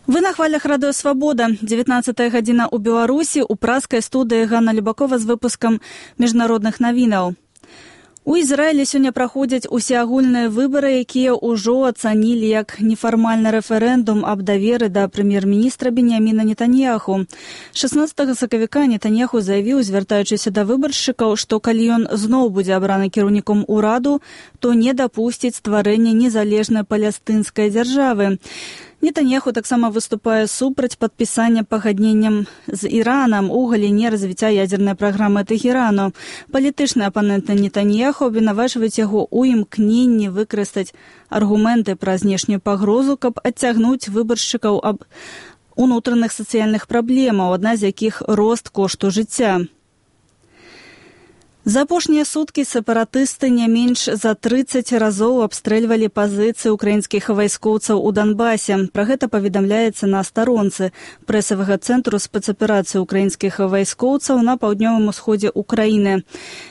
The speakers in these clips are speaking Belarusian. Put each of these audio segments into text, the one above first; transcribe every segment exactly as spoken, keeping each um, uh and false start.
Вы на хвалях радыё «Свабода». дзевятнаццатая гадзіна ў Беларусі, у праскай студыі Ганна Любакова з выпускам міжнародных навінаў. У Ізраілі сёння праходзяць усеагульныя выбары, якія ўжо ацанілі як нефармальны рэферэндум аб даверы да прэм'ер-міністра Беньяміна Нетаньяху. шаснаццатага сакавіка Нетаньяху заявіў, звяртаючыся да выбаршчыкаў, што калі ён зноў будзе абраны кіраўніком ураду, то не дапусціць стварэння незалежнай палестынскай дзяржавы. Нетаньяху таксама выступае супраць падпісання пагадненням з Іранам у галіне развіцця ядзернай праграмы Тэхерану. Палітычныя апаненты Нетаньяху абвінавачваюць яго ў імкненні выкарыстаць аргументы пра знешнюю пагрозу, каб адцягнуць выбаршчыкаў аб унутраных сацыяльных праблемаў, адна з якіх рост кошту жыцця. За апошнія суткі сепаратысты не менш за трыццаць разоў абстрэльвалі пазіцыі украінскіх вайскоўцаў у Донбасе. Пра гэта паведамляецца на старонцы прэсавага цэнтру спецаперацыі украінскіх вайскоўцаў на паўднёвым усходзе ўкраіны.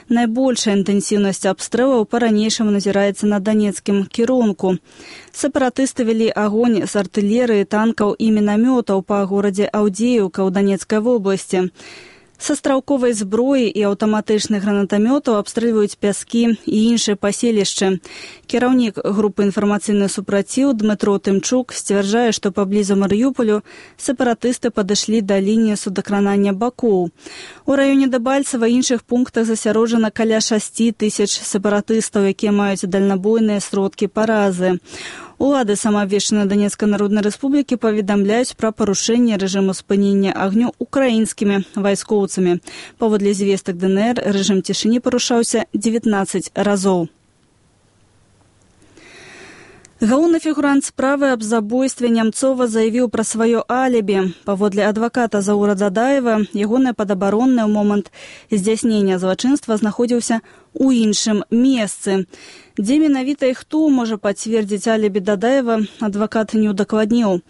Найбольшая інтэнсіўнасць абстрэлаў па-ранейшаму назіраецца на данецкім кірунку. Сепаратысты вялі агонь з артылерыі, танкаў і мінамётаў па горадзе Аўдзеўка ў Данецкай вобласці. Са стралковай зброі і аўтаматычных гранатамётаў абстрэльваюць пяскі і іншыя паселішчы. Кіраўнік групы інфармацыйны супраціў Дмытро Тымчук сцвярджае, што паблізу Марыёполю сепаратысты падышлі да лініі судакранання бакоў. У раёне Дэбальцева і іншых пунктах засяроджана каля шасці тысяч сепаратыстаў, якія маюць дальнабойныя сродкі паразы. Улады самаабвешчанай Данецкай Народнай Рэспублікі паведамляюць пра парушэнне рэжыму спынення агню украінскімі вайскоўцамі. Паводле звестак ДНР, рэжым цішыні парушаўся дзевятнаццаць разоў. Галоўны фігурант справы аб забойстве Нямцова заявіў пра сваё алібі. Паводле адваката Заура Дзадаева, ягонае падабароннае ў момант здзяйснення злачынства знаходзіўся у іншым месцы. Дзе менавіта і хто можа пацвердзіць алібі Дадаева, адвакат не ўдакладніў.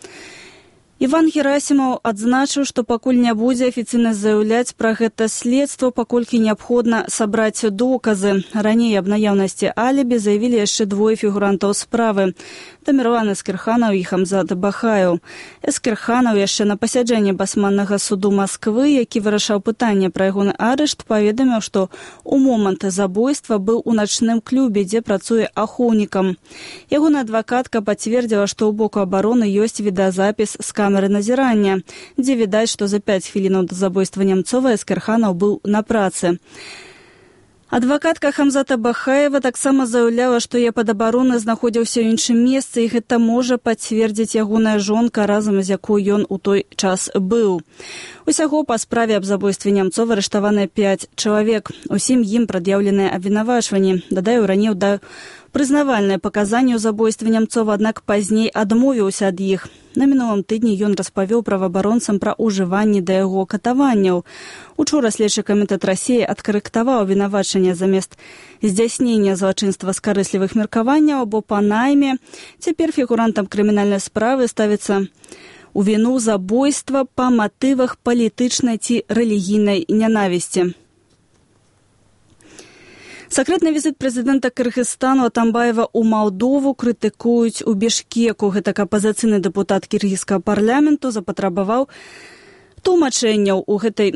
Іван Герасімаў адзначыў, што пакуль не будзе афіцыйна заяўляць пра гэта следства, паколькі неабходна сабраць доказы. Раней аб наяўнасці алібі заявілі яшчэ двое фігурантаў справы. Тамірлан Эскерханаў і Хамзат Бахаев. Эскерханаў яшчэ на пасяджэнні басманнага суду Масквы, які вырашаў пытанне пра ягоны арышт, паведаміў, што ў момант забойства быў у начным клубе, дзе працуе ахоўнікам. Ягоная адвакатка пацвердзіла, што ў боку абароны ёсць відэазапіс з камеры назірання, дзе відаць, што за пяць хвілінаў да забойства Нямцова Эскерханаў быў на працы. Адвакатка Хамзата Бахаева таксама заяўляла, што яе падабароны знаходзіўся ў іншым месцы, і гэта можа пацвердзіць ягоная жонка, разам з якой ён у той час быў. Усяго па справе аб забойстве Нямцова арыштаваны пяць чалавек. Усім ім прад'яўленыя абвінавачванні. Дадаю, раней даў прызнавальныя паказанні ў забойстве Нямцова, аднак пазней адмовіўся ад іх. На мінулым тыдні ён распавёў праваабаронцам пра ўжыванні да яго катаванняў. Учора следчы камітэт Расіі адкарэктаваў абвінавачанне замест здзяйснення злачынства з карыслівых меркаванняў або па найме. Цяпер фігурантам крымінальнай справы ставіцца у віну забойства па матывах палітычнай ці рэлігійнай нянавісці. Сакрэтны візіт прэзідэнта Кыргызстану Атамбаева ў Малдову крытыкуюць у Бішкеку. Гэтак апазіцыйны дэпутат кіргізскага парламенту запатрабаваў тлумачэнняў у гэтай